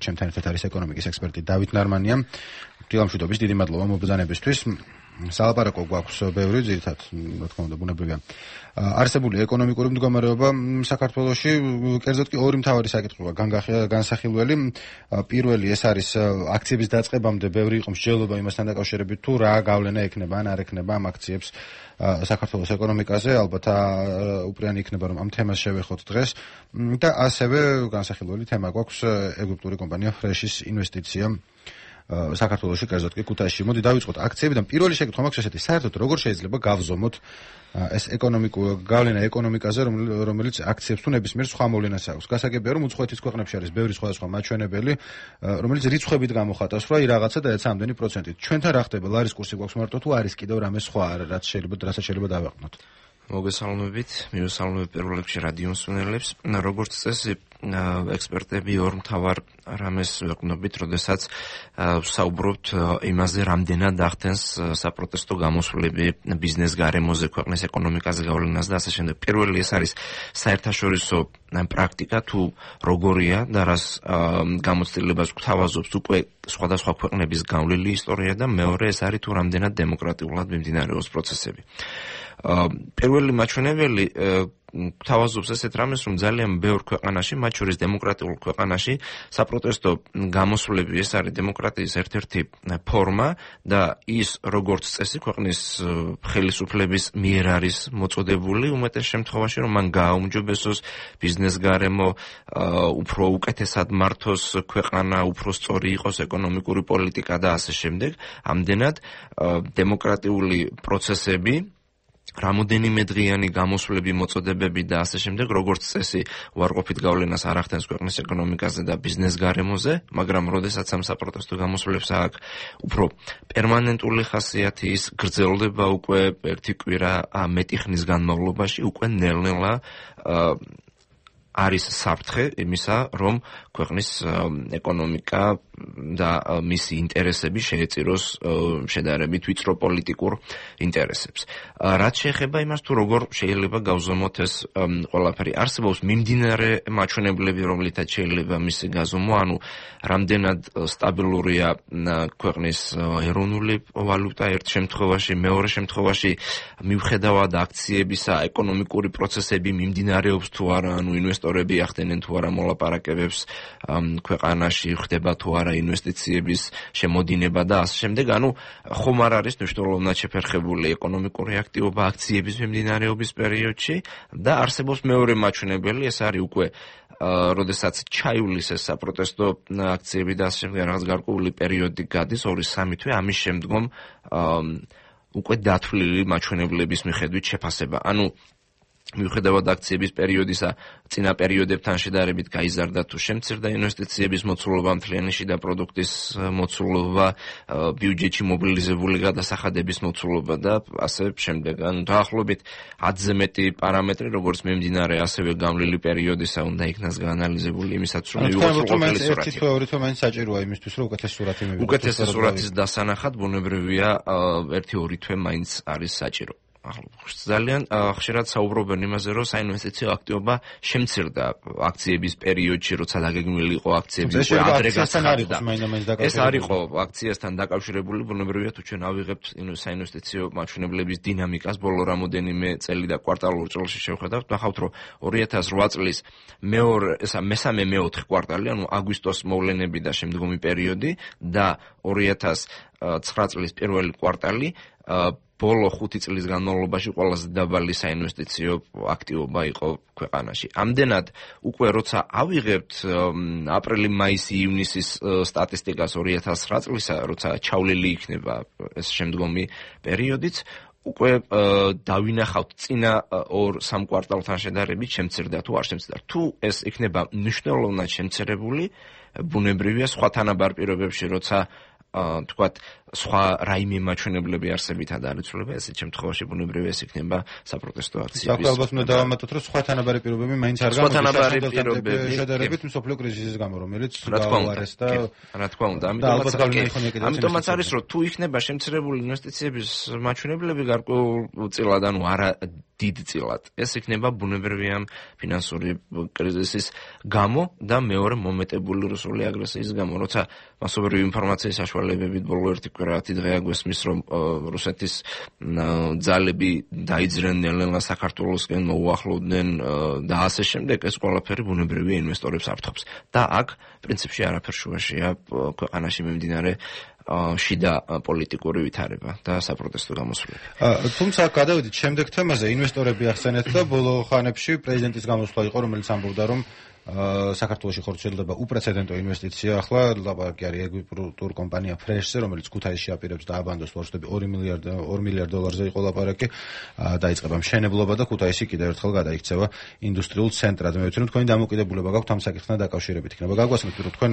ჩემთან ერთად არის ეკონომიკის ექსპერტი დავით ნარმანია. დილამშვიდობის, დიდი მადლობა მობრძანებისთვის. სალაპარაკო გვაქვს ბევრი, ძირითადად, რა თქმა უნდა, ბუნებრივია. არსებული ეკონომიკური მდგომარეობა საქართველოში, კერძოდ კი ორი მთავარი საკითხია განსახილველი. პირველი ეს არის აქციების დაწყებამდე ბევრი იყო მსჯელობა იმასთან დაკავშირებით, თუ რა გავლენა ექნება ან არ ექნება ამ აქციებს საქართველოს ეკონომიკაზე, ალბათ უპირიანი იქნება, რომ ამ თემას შევეხოთ დღეს და ასევე განსახილველი თემა გვაქვს ეგვიპტური კომპანია ფრეშის ინვესტიცია საქართველოში, კერძოდ კი ქუთაისში. მოდი დავიწყოთ აქციებიდან. პირველი შეკითხვა მაქვს ესეთი: საერთოდ როგორ შეიძლება გავზომოთ ეს გავლენა ეკონომიკაზე, რომელიც აქციებს თუ ნებისმიერ სხვა მოვლენას აქვს? გასაგებია, რომ უცხოეთის ქვეყნებში არის ბევრი სხვადასხვა მაჩვენებელი, რომელიც რიცხვებით გამოხატავს, რომ რაღაცა და ეცა ამდენი პროცენტით. ჩვენთან რა ხდება? ლარის კურსი გვაქვს მარტო თუ არის კიდევ რამე სხვა, რასაც შეიძლება დავაყნოთ? მოგესალმებით, მივესალმებ პირველ რიგში რადიო მსმენელებს. როგორც წესი, ექსპერტები ორ მთავარ რამეს ვეყნობით, როდესაც საუბრობთ იმაზე, რამდენად ახდენს საპროტესტო გამოსვლები ბიზნეს გარემოზე, ქვეყნის ეკონომიკაზე გავლენას და ასე შემდეგ. პირველი ეს არის საერთაშორისო პრაქტიკა, თუ როგორია და რას გამოცდილებას გვთავაზობს უკვე სხვადასხვა ქვეყნების გავლილი ისტორია და მეორე ეს არის თუ რამდენად დემოკრატიულად მიმდინარეობს პროცესები. პირველი მაჩვენებელი გვთავაზობს ესეთ რამეს, რომ ძალიან ბევრ ქვეყანაში, მათ შორის დემოკრატიულ ქვეყანაში, საპროტესტო გამოსვლები ეს არის დემოკრატიის ერთ-ერთი ფორმა და ის როგორც წესი ქვეყნის ხელისუფლების მიერ არის მოწოდებული უმეტეს შემთხვევაში, რომ მან გააუმჯობესოს ბიზნეს გარემო, უფრო უკეთესად მართოს ქვეყანა, უფრო სწორი იყოს ეკონომიკური პოლიტიკა და ასე შემდეგ. ამდენად დემოკრატიული პროცესები რამოდენიმე დღიანი გამოსვლები, მოწოდებები და ასე შემდეგ, როგორც წესი, უარყოფით გავლენას არ ახდენს ქვეყნის ეკონომიკაზე და ბიზნეს გარემოზე, მაგრამ როდესაც ამ საპროტესტო გამოსვლებს აქვს უფრო პერმანენტული ხასიათი, ის გრძელდება უკვე ერთი კვირა მეტი ხნის განმავლობაში, უკვე ნელ-ნელა არის საფრთხე იმისა, რომ ქვეყნის ეკონომიკა და მისი ინტერესები შეეწიროს შედარებით ვიწრო პოლიტიკურ ინტერესებს. რაც შეეხება იმას, თუ როგორ შეიძლება გავზომოთ ეს ყველაფერი, არსებობს მიმდინარე მაჩვენებლები, რომლითაც შეიძლება მისი გაზომვა, ანუ რამდენად სტაბილურია ქვეყნის ეროვნული ვალუტა ერთ შემთხვევაში, მეორე შემთხვევაში მიუხედავად აქციებისა, ეკონომიკური პროცესები მიმდინარეობს თუ არა, ანუ ინვესტორები ახდენენ თუ არა მოლაპარაკებებს ქვეყანაში, ხდება თუ არა ინვესტიციების შემოდინება და ასე შემდეგ, ანუ ხომ არ არის მნიშვნელოვნად შეფერხებული ეკონომიკური აქტივობა აქციების მიმდინარეობის პერიოდში და არსებობს მეორე მაჩვენებელი, ეს არის უკვე როდესაც ჩაივლის ეს საპროტესტო აქციები და ასე შემდეგ რაღაც გარკვეული პერიოდი გადის 2-3 თვე, ამის შემდგომ უკვე დათვლილი მაჩვენებლების მიხედვით შეფასება. ანუ მიუხედავად აქციების პერიოდისა, წინა პერიოდებთან შედარებით გაიზარდა თუ შემცირდა ინვესტიციების მოცულობა, მთლიანი შიდა პროდუქტის მოცულობა, ბიუჯეტში მობილიზებული გადასახადების მოცულობა და ასე შემდეგ. ანუ დაახლოებით 10-ზე მეტი პარამეტრი, როგორც მიმდინარე, ასევე გამლილი პერიოდისა უნდა იქნას გაანალიზებული იმისაც, რომ მივიღოთ ყოფილი სურათი. ერთი თვე, ორი თვე მაინც საჭიროა იმისთვის, რომ უკეთეს სურათი მივიღოთ. უკეთეს სურათის დასანახად ბუნებრივია 1-2 თვე მაინც არის საჭირო. ძალიან ხშირად საუბრობენ იმაზე, რომ საინვესტიციო აქტივობა შემცირდა აქციების პერიოდში, როცა დაგეგმილი იყო აქციების ადრე გასახადა. ეს არ იყო აქციასთან დაკავშირებული, ბუნებრივია თუ ჩვენ ავიღებთ საინვესტიციო მაჩვენებლების დინამიკას ბოლო რამოდენიმე წელი და კვარტალურ წელში შევხედავთ, ნახავთ, რომ 2008 წლის მესამე-მეოთხე კვარტალი, ანუ აგვისტოს მოვლენები და შემდგომი პერიოდი და 2009 წლის პირველი კვარტალი ბოლო 5 წლის განმავლობაში ყველაზე დაბალი საინვესტიციო აქტივობა იყო ქვეყანაში. ამდენად უკვე როცა ავიღებთ აპრილი-მაისი-ივნისის სტატისტიკას 2009 წლისა, როცა ჩავლილი იქნება ეს შემდგომი პერიოდიც, უკვე დავინახავთ წინა 2-3 კვარტალთან შედარებით შემცირდა თუ არ შემცირდა. თუ ეს იქნება მნიშვნელოვნად შემცირებული, ბუნებრივია სხვა თანაბარ პირობებში, როცა თქვათ სხვა რაიმე მაჩვენებლები არსებითად არ იცვლება, ესეთ შემთხვევაში ბუნებრივია ეს იქნება საპროტესტო აქციები. საქმე ალბათ უნდა დავამატოთ, რომ სხვა თანაბარი პირობები მაინც არ გამოდის შედარებით მსოფლიო კრიზისის გამო, რომელიც გაუარეს და რა თქმა უნდა, ამიტომაც არის, რომ თუ იქნება შემცირებული ინვესტიციების მაჩვენებლები გარკვეულწილად, ანუ არა დიდწილად, ეს იქნება ბუნებრივია ფინანსური კრიზისის გამო და მეორე მომეტებული რუსული აგრესიის გამო, როცა მასობრივი ინფორმაციის საშუალებებით ბოლო ერთი კვირაათი დღე აგვესმის, რომ რუსეთის ძალები დაიძრნენ ნელ-ნელა საქართველოსკენ, მოუახლოვდნენ და ასე შემდეგ, ეს ყველაფერი ბუნებრივია ინვესტორებს ართობს. და აქ პრინციპში არაფერ შუაშია ქვეყანაში მიმდინარე შიდა პოლიტიკური ვითარება და საპროტესტო გამოსვლები. თუმცა გადავიდით შემდეგ თემაზე, ინვესტორები ახსენეთ და ბოლო ხანებში პრეზიდენტის გამოსვლა იყო, რომელიც ამბობდა, რომ საქართველოში ხორციელდება უპრეცედენტო ინვესტიცია. ახლა ლაპარაკი არის ეგვიპტურ კომპანია ფრეშზე, რომელიც ქუთაისში აპირებს დააბანდოს ვარშავები 2 მილიარდ დოლარზე იყო ლაპარაკი. დაიწყება მშენებლობა და ქუთაისი კიდევ ერთხელ გადაიქცევა ინდუსტრიულ ცენტრად. მე ვთქვი, თქვენი დამოკიდებულება გაქვთ ამ საკითხთან დაკავშირებით იქნება. გაგვასმით, რომ თქვენ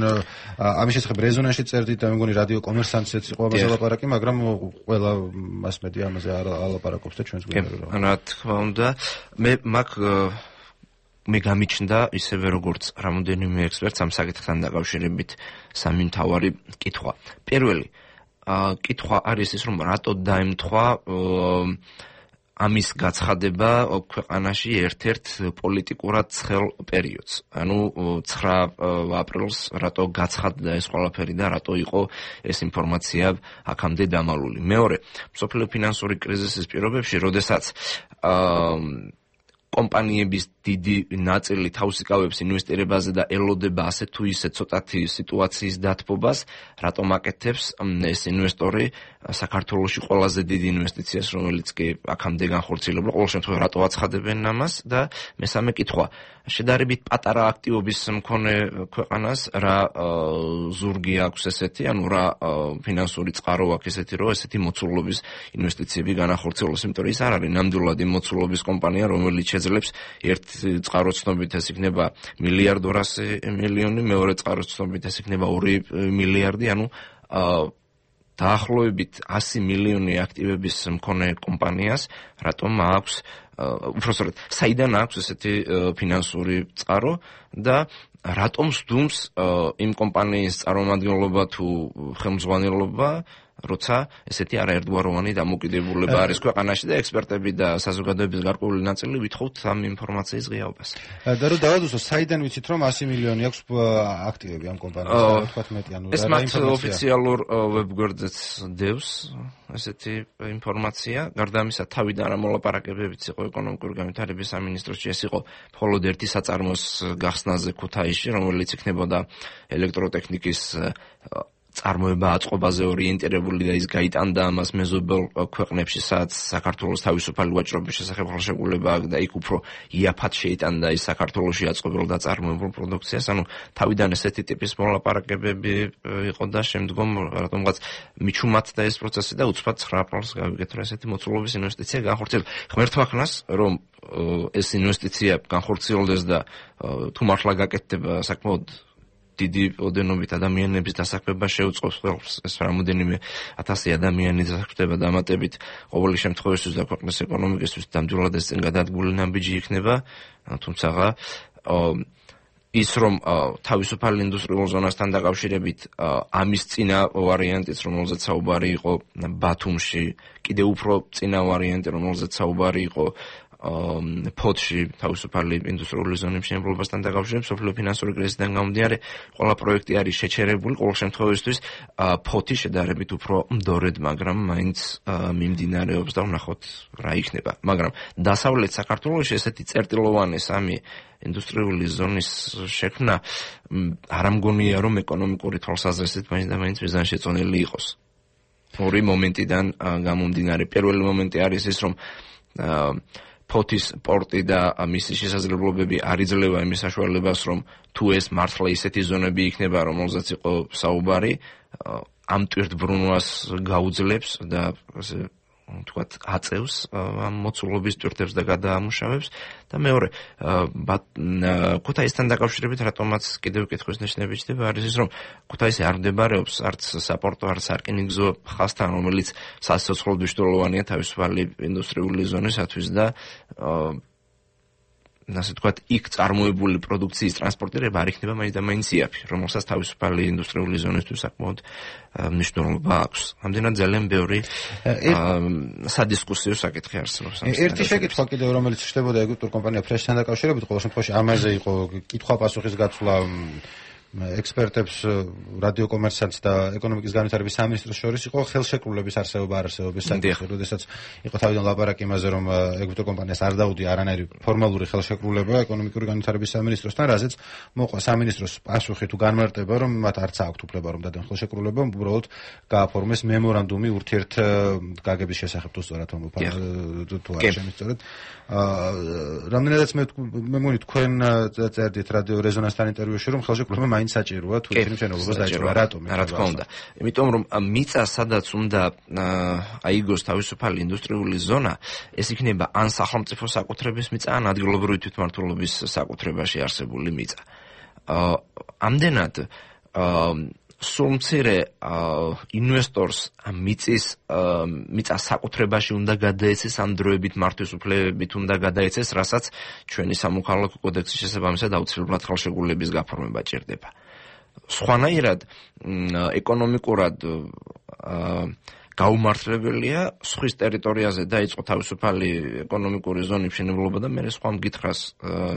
ამის შესახებ რეზონანსში წერდით და მე მგონი რადიო კომერსანტშიც იყო ამაზე ლაპარაკი, მაგრამ ყველა მასმედია ამაზე არ ლაპარაკობს და ჩვენს გვინდა. რა თქმა უნდა, მე გამიჩნდა ისევე როგორც რამოდენიმე ექსპერტს ამ საკითხთან დაკავშირებით სამი მთავარი კითხვა. პირველი კითხვა არის ის, რომ რატო დაემთხვა ამის გაცხადება ქვეყანაში ერთ-ერთ პოლიტიკურად ცხელ პერიოდს. ანუ 9 აპრილს რატო გაცხადდა ეს ყველაფერი და რატო იყო ეს ინფორმაცია აქამდე დამალული. მეორე, მსოფლიო ფინანსური კრიზისის პირობებში, როდესაც კომპანიების დიდი ნაწილი თავს იკავებს ინვესტირებაზე და ელოდება ასე თუ ისე ცოტათი სიტუაციის დათბობას, რატომ აკეთებს ეს ინვესტორი საქართველოში ყველაზე დიდ ინვესტიციას, რომელიც კი აქამდე განხორციელებულა, ყოველ შემთხვევაში რატო აცხადებენ ამას და მესამე კითხვა, შედარებით პატარა აქტივობის მქონე ქვეყანას რა ზურგი აქვს ესეთი, ანუ რა ფინანსური წყარო აქვს ესეთი, რომ ესეთი მოცულობის ინვესტიციები განახორციელოს, იმიტომ რომ ის არ არის ნამდვილად მოცულობის კომპანია, რომელიც შეძლებს ერთ წყაროს ცნობით ეს იქნება 1,2 მეორე წყაროს ცნობით ეს იქნება 2 მილიარდი, ანუ დაახლოებით 100 მილიონი აქტივების მქონე კომპანიას რატომ აქვს უბრალოდ საიდან აქვს ესეთი ფინანსური წყარო და რატომ სდუმს იმ კომპანიის წარმომადგენლობა თუ ხელმძღვანელობა, როცა ესეთი არაერთგვაროვანი დამოკიდებულება არის ქვეყანაში და ექსპერტები და საზოგადოების გარკვეული ნაწილი ვითხოვთ ამ ინფორმაციის ღიაობას. და რომ დავადუსტო, საიდან ვიცით, რომ 100 მილიონი აქვს აქტივები ამ კომპანიას, რა თქვათ მეტი, ანუ ეს მათ ოფიციალურ ვებგვერდზეც დევს ესეთი ინფორმაცია. გარდა ამისა, თავიდან რა მოლაპარაკებებიც იყო ეკონომიკური განვითარების სამინისტროში, ეს იყო მხოლოდ ერთი საწარმოს გახსნაზე ქუთაისში, რომელიც იქნებოდა ელექტროტექნიკის წარმოება აწყობაზე ორიენტირებული და ის გაიტანდა ამას მეზობელ ქვეყნებში, სადაც საქართველოს თავისუფალი ვაჭრობის შესახებ ხელშეკრულება აქვს და იქ უფრო იაფად შეიტანდა ის საქართველოში აწყობილ და წარმოებულ პროდუქციას. ანუ თავიდან ესეთი ტიპის მოლაპარაკებები იყო და შემდგომ რატომღაც მიჩუმათდა ეს პროცესი და უცბად 9 აპრილს გავიგეთ, რომ ესეთი მოცულობის ინვესტიცია განხორციელდა. ღმერთმა ხნას, რომ ეს ინვესტიცია განხორციელდეს და თუ მართლა გაკეთდება საკმაოდ დიდი ოდენობით ადამიანების დასაქმება შეუწყობს ხელს, ეს რამოდენიმე 1000 ადამიანი დასაქმდება დამატებით ყოველი შემთხვევაში და ქვეყნის ეკონომიკისთვის ნამდვილად ეს წინ გადადგმული ნაბიჯი იქნება, თუმცა ის რომ თავისუფალ ინდუსტრიულ ზონასთან დაკავშირებით ამის წინა ვარიანტიც, რომელზეც საუბარი იყო ბათუმში, კიდევ უფრო წინა ვარიანტი, რომელზეც საუბარი იყო ფოთში თავისუფალი ინდუსტრიული ზონების მშენებლობასთან დაკავშირებით, მსოფლიო ფინანსური კრიზისიდან გამომდინარე, ყველა პროექტი არის შეჩერებული, ყოველ შემთხვევაში ფოთი შედარებით უფრო მდორედ, მაგრამ მაინც მიმდინარეობს და ვნახოთ რა იქნება. მაგრამ დასავლეთ საქართველოში ესეთი წერტილოვანი სამი ინდუსტრიული ზონის შექმნა არ ამგონია, რომ ეკონომიკური თვალსაზრისით მაინც მიზანშეწონილი იყოს. ორი მომენტიდან გამომდინარე. პირველი მომენტი არის ის, რომ ფოთის პორტი და მისი შესაძლებლობები არ იძლევა იმის საშუალებას, რომ თუ ეს მართლა ისეთი ზონები იქნება, რომელზეც იყო საუბარი, ამ ტვირთბრუნვას გაუძლებს და თქვათ აწევს ამ მოცულობის ტვირთებს და გადაამუშავებს და მეორე ქუთაისთან დაკავშირებით რატომაც კიდევ კითხვის ნიშნები ჩდება არის ის რომ ქუთაისი არ მდებარეობს არც საპორტო არც სარკინიგზო ხაზთან რომელიც სასიცოცხლოდ მნიშვნელოვანია თავისუფალი ინდუსტრიული ზონისათვის და ასე თქვათ, იქ წარმოებული პროდუქციის ტრანსპორტირება არ იქნება მაინც და მაინც იაფი, რომელსაც თავისუფალი ინდუსტრიული ზონისთვის საკმაოდ მნიშვნელობა აქვს. ამდენად ძალიან ბევრი სადისკუსიო საკითხი არსებობს. ერთი შეკითხვა კიდევ რომელიც ხდებოდა ეგვიპტურ კომპანია ფრეშთან დაკავშირებით, ყოველ შემთხვევაში ამაზე იყო კითხვა-პასუხის გაცვლა ექსპერტებს რადიო კომერციანტს და ეკონომიკის განვითარების სამინისტროს შორის იყო ხელშეკრულების არსებობა არასებობის საკითხი, როდესაც იყო თავიდან ლაპარაკი იმაზე, რომ ეგვიპტურ კომპანიას არ დაუდია არანაირი ფორმალური ხელშეკრულება ეკონომიკური განვითარების სამინისტროსთან, რაზეც მოყვა სამინისტროს პასუხი თუ განმარტება, რომ მათ არც აქვთ უფლება რომ დადեն ხელშეკრულება, უბრალოდ გააფორმეს მემორანდუმი ურთიერთგაგების შესახებ, თუ სწორად თუ არ შემიძლია. რამდენადაც მე მგონი თქვენ წერდით რადიო რეზონანსთან ინტერვიუში, რომ ხელშეკრულება მაინც საჭიროა თუ ისინი მშენებლობას დაიწყება. რატომ? რა თქმა უნდა. იმიტომ რომ მიწა სადაც უნდა აიგოს თავისუფალი ინდუსტრიული ზონა, ეს იქნება ან სახელმწიფო საკუთრების მიწა, ან ადგილობრივი თვითმმართველობის საკუთრებაში არსებული მიწა. ამდენად სულ მცირე ინვესტორს მიწა საკუთრებაში უნდა გადაეცეს, ამ დროებით მართვის უფლებებით უნდა გადაეცეს, რასაც ჩვენი სამოქალაქო კოდექსის შესაბამისად აუცილებლად ხელშეკრულების გაფორმება ჭირდება. სხვანაირად ეკონომიკურად გაუმართლებელია სხვის ტერიტორიაზე დაიწყო თავისუფალი ეკონომიკური ზონის მშენებლობა და მე სხვა მკითხრას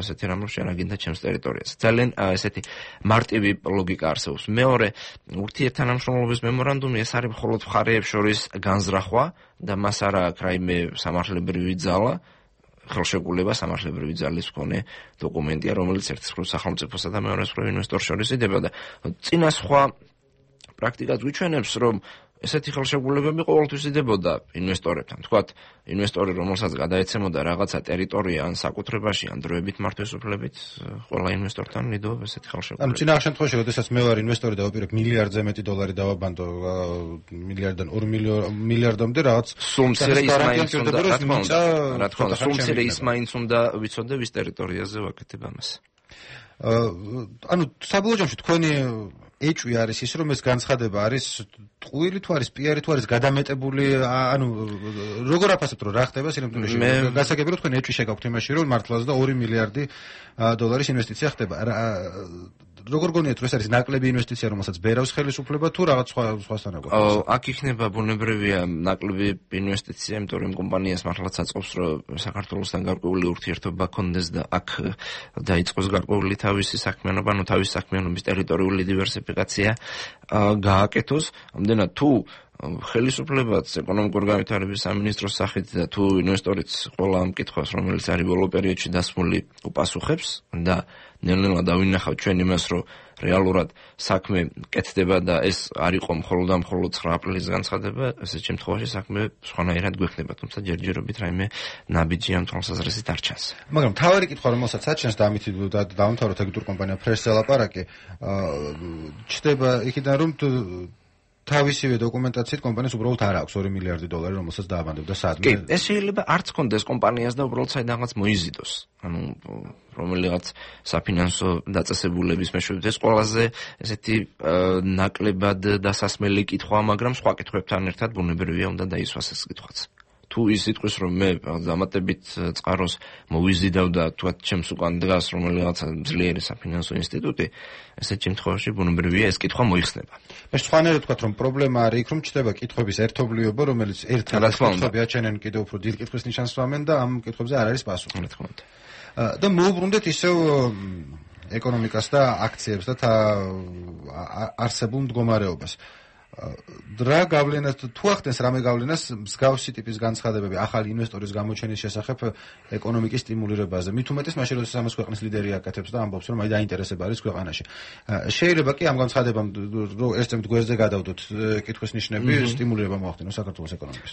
ესეთი რამ შეანაგინდა ჩემს ტერიტორიაზე. ძალიან ესეთი მარტივი ლოგიკა არსებობს. მეორე, ურთიერთთანამშრომლობის მემორანდუმი ეს არის მხოლოდ მხარეებს შორის განზრახვა და მას არ აქვს რაიმე სამართლებრივი ძალა. ხელშეკრულება სამართლებრივი ძალის მქონე დოკუმენტია, რომელიც ერთ მხრივ სახელმწიფოსა და მეორე მხრივ ინვესტორს შორის იდება და წინა სხვა პრაქტიკაც გვიჩვენებს, რომ ესეთი ხელშეკრულებები ყოველთვის იდებოდა ინვესტორებთან. თქვათ, ინვესტორი, რომელსაც გადაეცემოდა რაღაცა ტერიტორია ან საკუთრებაში, ან დროებით მართვის უფლებით, ყველა ინვესტორთან იდეობ ესეთი ხელშეკრულება. ანუ წინა შემთხვევაში, როდესაც მე ვარ ინვესტორი და ვაპირებ მილიარდზე მეტი დოლარი დავაბანდო, მილიარდიდან 2 მილიარდამდე რაღაც სულ მცირე ის მაინც უნდა, რა თქმა უნდა, სულ მცირე ის მაინც უნდა ვიცოდე ვის ტერიტორიაზე ვაკეთებ ამას. ანუ საბოლოო ჯამში თქვენი ეჭვი არის ის, რომ ეს განცხადება არის ტყუილი თუ არის პიარი თუ არის გადამეტებული, ანუ როგორ აფასებთ, რომ რა ხდება სინამდვილეში? გასაგები რომ თქვენ ეჭვი შეგაქვთ იმაში, რომ მართლაც და 2 მილიარდი დოლარის ინვესტიცია ხდება. როგორ გონიათ, რომ ეს არის ნაკლები ინვესტიცია, რომელსაც ბერავს ხელისუფლება თუ რაღაც სხვასთან აქვს? აქ იქნება ბუნებრივია ნაკლები ინვესტიცია, იმიტომ რომ კომპანიას მართლაც აწყობს, რომ საქართველოსთან გარკვეული ურთიერთობა ქონდეს და აქ დაიწყოს გარკვეული თავისი საქმიანობა, ანუ თავისი საქმიანობის ტერიტორიული დივერსიფიკაცია გააკეთოს. ამდენად თუ ხელისუფლებაც ეკონომიკური განვითარების სამინისტროს სახით და თუ ინვესტორიც ყველა ამ კითხვას, რომელიც არის ბოლო პერიოდში დასმული, უპასუხებს და ნელ-ნელა დავინახავთ ჩვენ იმას, რომ რეალურად საქმე კეთდება და ეს არ იყო მხოლოდ და მხოლოდ 9 აპრილის განცხადება, ესეთ შემთხვევაში საქმე სხვანაირად გვექნება, თუმცა ჯერჯერობით რაიმე ნაბიჯი ამ თვალსაზრისით არ ჩანს. მაგრამ თავარი კითხვა, რომელსაც აჩენს და ამით დავამთავროთ ეგვიპტურ კომპანია ფრეშზე ლაპარაკი, ჩდება იქიდან რომ თავისივე დოკუმენტაციით კომპანიას უბრალოდ არ აქვს 2 მილიარდი დოლარი, რომელსაც დააბანდებდა სადმე. კი, ეს შეიძლება არც კონდეს კომპანიას და უბრალოდ საიდანღაც მოიზიდოს. ანუ რომელიღაც საფინანსო დაწესებულების მეშვეობით ეს ყველაზე ესეთი ნაკლებად დასასმელი კითხვა, მაგრამ სხვა კითხვებთან ერთად ბუნებრივია უნდა დაისვას ეს კითხვაც. თუ ის იტყვის, რომ მე დამატებით წყაროს მოვიზიდავ და თქვათ ჩემს უკან დგას რომელიღაც ძლიერი საფინანსო ინსტიტუტი, ესეთ შემთხვევაში ბუნებრივია ეს კითხვა მოიხსნება. მე სხვანაირად ვთქვათ, რომ პრობლემა არის იქ, რომ ჩდება კითხვების ერთობლიობა, რომელიც ერთად კითხვები აჩენენ კიდევ უფრო დიდ კითხვის ნიშანს ვამენ და ამ კითხვებზე არ არის პასუხი. რა თქმა უნდა. და მოუბრუნდეთ ისევ ეკონომიკას და აქციებს და არსებულ მდგომარეობას. რა გავლენას თუ ახდენს რამე გავლენას მსგავსი ტიპის განცხადებები ახალი ინვესტორის გამოჩენის შესახებ ეკონომიკის სტიმულირებაზე? მით უმეტეს მაშინ, როდესაც ამას ქვეყნის ლიდერი აკეთებს და ამბობს, რომ აი დაინტერესება არის ქვეყანაში. შეიძლება კი ამ განცხადებამ ერთ-ერთ გვერდზე გადავდოთ კითხვის ნიშნები, სტიმულირება მოახდინოს საქართველოს ეკონომიკას.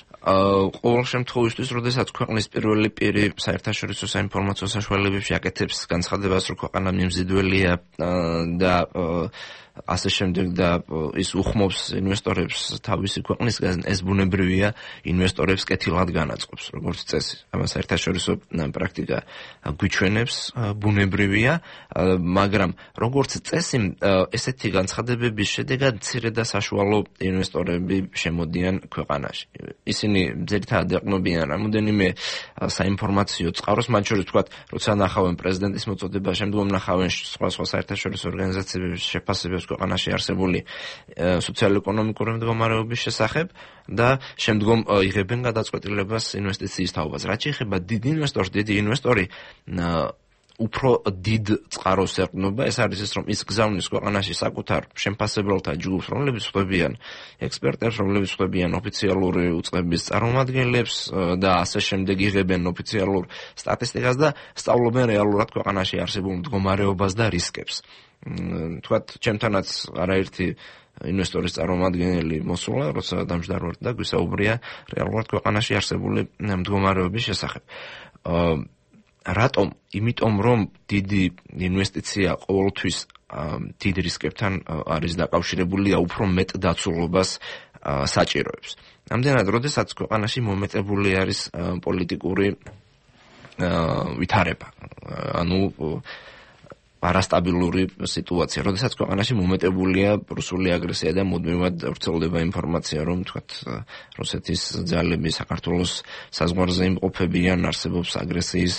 ყოველ შემთხვევაში, როდესაც ქვეყნის პირველი პირი საერთაშორისო საინფორმაციო საშუალებებში აკეთებს განცხადებას, რომ ქვეყანა მიმზიდველია და ასე შემდეგ და ის უხმობს ინვესტორებს თავისი ქვეყნისგან, ეს ბუნებრივია ინვესტორებს კეთილად განაწყობს, როგორც წესი. ამას საერთაშორისო პრაქტიკა გვიჩვენებს, ბუნებრივია, მაგრამ როგორც წესი, ესეთი განცხადებების შედეგად მცირე და საშუალო ინვესტორები შემოდიან ქვეყანაში. ისინი ძირითადად ეყნობიან რამოდენიმე საინფორმაციო წყაროს, მათ შორის თქვათ, როცა ნახავენ პრეზიდენტის მოწოდება, შემდგომ ნახავენ სხვა საერთაშორისო ორგანიზაციების შეფასებებს ქვეყანაში არსებული სოციალურ-ეკონომიკური მდგომარეობის შესახებ და შემდგომ იღებენ გადაწყვეტილებას ინვესტიციის თაობაზე. რაც შეეხება დიდ ინვესტორს, დიდი ინვესტორი უფრო დიდ წყაროს ეყრდნობა, ეს არის ის, რომ ის გზავნის ქვეყანაში საკუთარ შემფასებელთა ჯგუფს, რომლებიც ხვდებიან ექსპერტებს, რომლებიც ხვდებიან ოფიციალური უწყების წარმომადგენლებს და ასე შემდეგ იღებენ ოფიციალურ სტატისტიკას და სწავლობენ რეალურად ქვეყანაში არსებულ მდგომარეობას და რისკებს. თქვათ, ჩემთანაც არაერთი ინვესტორის წარმომადგენელი მოსულა, როცა დამჯდარვართ და გვისაუბრია რეალურად ქვეყანაში არსებული მდგომარეობის შესახებ. რატომ? იმიტომ, რომ დიდი ინვესტიცია ყოველთვის დიდ რისკებთან არის დაკავშირებული და უფრო მეტ დაცულობას საჭიროებს. ამდენად, როდესაც ქვეყანაში მომეტებული არის პოლიტიკური ვითარება, ანუ არასტაბილური სიტუაცია, როდესაც ქვეყანაში მომეტებულია რუსული აგრესია და მუდმივად ვრცელდება ინფორმაცია, რომ თქვათ რუსეთის ძალები საქართველოს საზღვარზე იმყოფებიან, არსებობს აგრესიის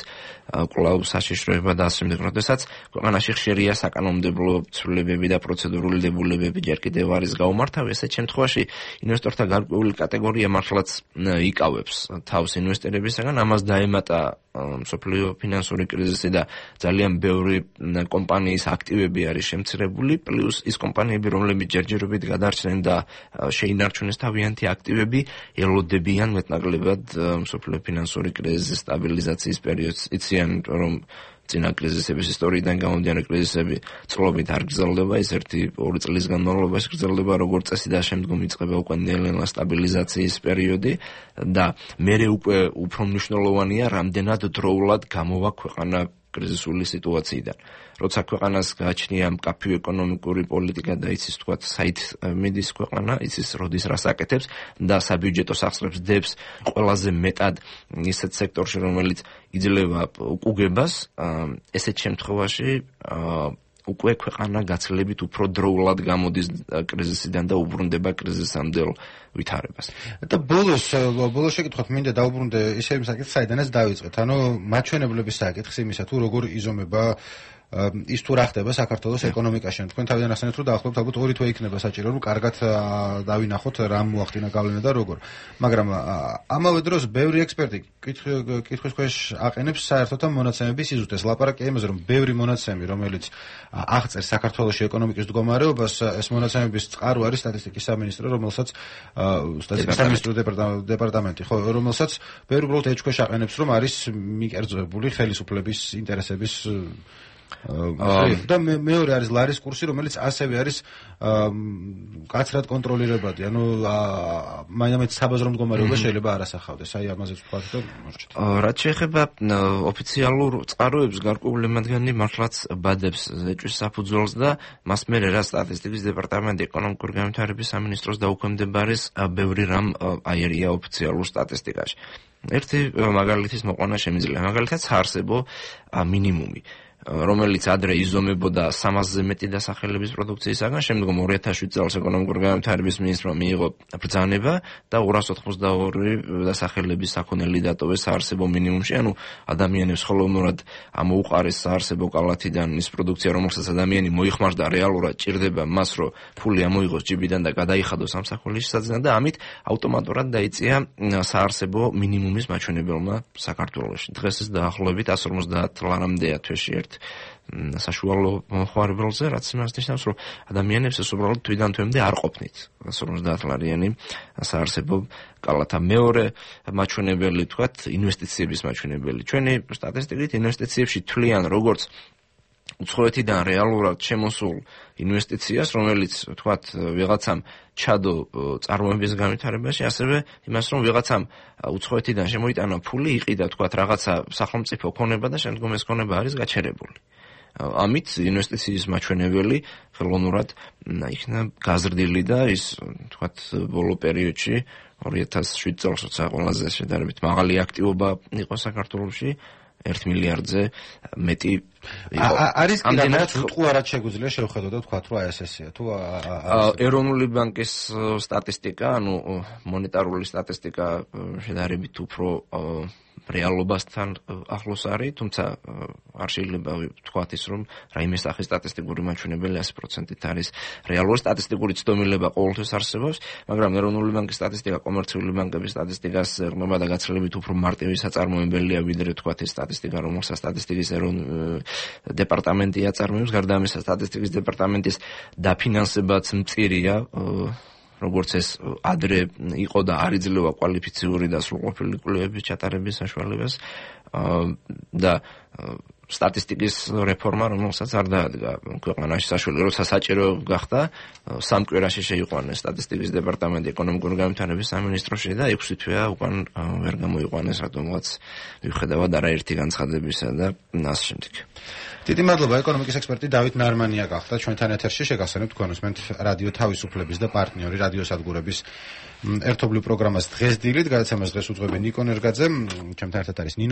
კვლავ საშიშროება და ასე შემდეგ, როდესაც ქვეყანაში ხშირია საკანონმდებლო ცვლილებები და პროცედურული დებულებები ჯერ კიდევ არის გაუმართავი, ესეთ შემთხვევაში ინვესტორთა გარკვეული კატეგორია მართლაც იკავებს თავს ინვესტირებისაგან, ამას დაემატა მსოფლიო ფინანსური კრიზისი და ძალიან ბევრი კომპანიის აქტივები არის შემცირებული, პლუს ის კომპანიები, რომლებიც ჯერჯერობით გადარჩნენ და შეინარჩუნეს თავიანთი აქტივები, ელოდებიან მეტნაკლებად მსოფლიო ფინანსური კრიზისის სტაბილიზაციის პერიოდს. იციან, რომ წინა კრიზისების ისტორიიდან გამომდინარე კრიზისები წლობით არ გრძელდება, ის 1-2 წლის განმავლობაში გრძელდება როგორც წესი და შემდგომ იწყება უკვე ნელ-ნელა სტაბილიზაციის პერიოდი და მერე უკვე უფრო მნიშვნელოვანია, რამდენად დროულად გამოვა ქვეყანა კრიზისული სიტუაციიდან. როცა ქვეყანას გააჩნია მკაფიო ეკონომიკური პოლიტიკა და იცის თქვათ საით მიდის ქვეყანა, იცის როდის რას აკეთებს და საბიუჯეტო სახსრებს დებს ყველაზე მეტად ისეთ სექტორში, რომელიც იძლევა უკუგებას, ესეთ შემთხვევაში უკვე ქვეყანა გაცილებით უფრო დროულად გამოდის კრიზისიდან და უბრუნდება კრიზისამდელ ვითარებას. და ბოლოს შეკითხოთ, მინდა დაუბრუნდე ისე იმ საკითხს, საიდანაც დავიწყეთ. ანუ მაჩვენებლების საკითხს იმისა, თუ როგორ იზომება ის თუ რა ხდება საქართველოს ეკონომიკაში. თქვენ თავიდან ასენეთ, რომ დაახლოებით ალბათ 2 თვე იქნება საჭირო, რომ კარგად დავინახოთ რა მოახდინა გავლენა და როგორ. მაგრამ ამავე დროს ბევრი ექსპერტი კითხვის ქვეშ აყენებს საერთოდ ამ მონაცემების იზუსტეს. ლაპარაკია იმაზე, რომ ბევრი მონაცემი, რომელიც აღწერს საქართველოს ეკონომიკის მდგომარეობას, ეს მონაცემების წყარო არის სტატისტიკის სამინისტრო, რომელსაც სტატისტიკის სამინისტროს დეპარტამენტი, ხო, რომელსაც ბევრი უბრალოდ ეჭქვეშ აყენებს, რომ არის მიკერძოებული ხელისუფლების ინტერესების და მეორე არის ლარის კურსი, რომელიც ასევე არის კაცრად კონტროლირებადი. ანუ მაინც საბაზრო მდგომარეობა შეიძლება არ ასახავდეს. აი ამაზეც ვთქვათ და მორჩით. რაც შეეხება ოფიციალურ წყაროებს, გარკვეული მათგანი მართლაც ბადებს ეჭვის საფუძველს და მას მერე რა სტატისტიკის დეპარტამენტი ეკონომიკური განვითარების სამინისტროს დაუქვემდებარეს ბევრი რამ აერია ოფიციალურ სტატისტიკაში. ერთი მაგალითის მოყვანა შემიძლია. მაგალითად საარსებო მინიმუმი, რომელიც ადრე იზომებოდა 300-ზე მეტი დასახელების პროდუქციისაგან, შემდგომ 2007 წელს ეკონომიკური განვითარების მინისტრმა მიიღო ბრძანება და 282 დასახელების საქონელი დატოვეს საარსებო მინიმუმში, ანუ ადამიანებს ხოლმეურად ამოუყარეს საარსებო კალათიდან ის პროდუქცია, რომელსაც ადამიანი მოიხმარდა რეალურად ჭირდება მას, რომ ფული ამოიღოს ჯიბიდან და გადაიხადოს სამსახურის სadzნად და ამით ავტომატურად დაიწია საარსებო მინიმუმის მაჩვენებელმა საქართველოში. დღეს ეს დაახლოებით 150 ლარამდეა თვეში ერთ საშუალო მოხმარებელზე, რაც იმას ნიშნავს, რომ ადამიანებს ეს უბრალოდ თვიდან თვემდე არ ყოფნით 150 ლარიანი საარსებო კალათა. მეორე მაჩვენებელი, თქვათ, ინვესტიციების მაჩვენებელი. ჩვენი სტატისტიკით ინვესტიციებში თვლიან როგორც უცხოეთიდან რეალურად შემოსულ ინვესტიციას, რომელიც თქვათ ვიღაცამ ჩადო წარმოების განვითარებაში, ასევე იმას, რომ ვიღაცამ უცხოეთიდან შემოიტანა ფული, იყიდა თქვათ რაღაცა სახელმწიფო ქონება და შემდგომ ეს ქონება არის გაჩერებული. ამით ინვესტიციის მაჩვენებელი ხელოვნურად იქნა გაზრდილი და ის თქვათ ბოლო პერიოდში 2007 წელს როცა ყველაზე შედარებით მაღალი აქტივობა იყო საქართველოში 1 მილიარდზე მეტი იყო. არის კი რაღაც უტყუარად შეგვიძლია შევხედოთ და ვთქვათ, რომ ეს ესეა. თუ ეროვნული ბანკის სტატისტიკა, ანუ მონეტარული სტატისტიკა შედარებით უფრო რეალობასთან ახლოს არის, თუმცა არ შეიძლება ვთქვათ ის, რომ რაიმე სახის სტატისტიკური მაჩვენებელი 100%-ით არის რეალური. სტატისტიკური ცდომილება ყოველთვის არსებობს, მაგრამ ეროვნული ბანკის სტატისტიკა კომერციული ბანკების სტატისტიკას ეხმება და გაცილებით უფრო მარტივი საწარმოებელია, ვიდრე ვთქვათ ის სტატისტიკა, რომელსაც სტატისტიკის დეპარტამენტი აწარმოებს. გარდა ამისა, სტატისტიკის დეპარტამენტის დაფინანსებაც მწირია, როგორც ეს ადრე იყო და არ იძლევა კვალიფიციური და სრულყოფილი კვლევების ჩატარების საშუალებას და სტატისტიკის რეფორმა, რომელსაც არ დაადგა ქვეყანაში საშუალება, როცა საჭირო გახდა, 3 კვირაში შეიყვანეს სტატისტიკის დეპარტამენტი ეკონომიკური განვითარების სამინისტროში და 6 თვეა უკან ვერ გამოიყვანეს რატომღაც მიუხედავად არაერთი განცხადებისა და ასე შემდეგ. დიდი მადლობა, ეკონომიკის ექსპერტი დავით ნარმანია გახდა ჩვენთან ეთერში. შეგახსენებთ თქვენ უსმენთ რადიო თავისუფლების და პარტნიორი რადიოსადგურების ერთობლივ პროგრამას დღეს დილით, გადაცემას დღეს უძღვები ნიკო ნერგაძე, ჩემთან ერთად არის ნინო